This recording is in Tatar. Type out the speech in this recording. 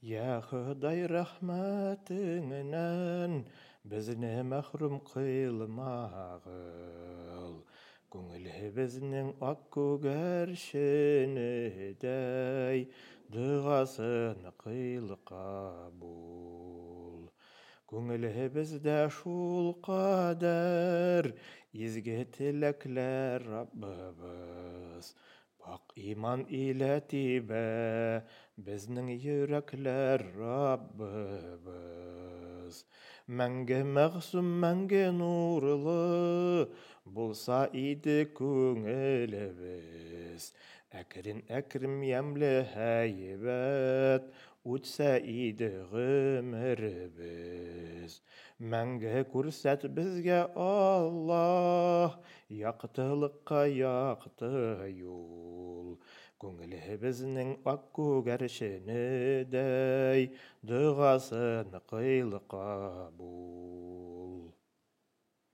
Йа Ходай, рәхмәтеңнән безне мәхрүм кыйлмагыл. Күңелебезнең ак күгәрченедәй догасын кыйл кабул. Күңелебездә шул кадәр изге теләкләр, Раббыбыз. Пакь иман илә тибә безнең йөрәкләр, Раббыбыз. Мәңге мәгъсум, мәңге нурлы булса иде күңелебез. Әкрен-әкрен ямьле һәйбәт үтсә иде гомеребез. Мәңге күрсәт безгә, Аллаһ, яктылыкка якты юл. Күңелебезнең ак күгәрченедәй догасын кыйл кабул.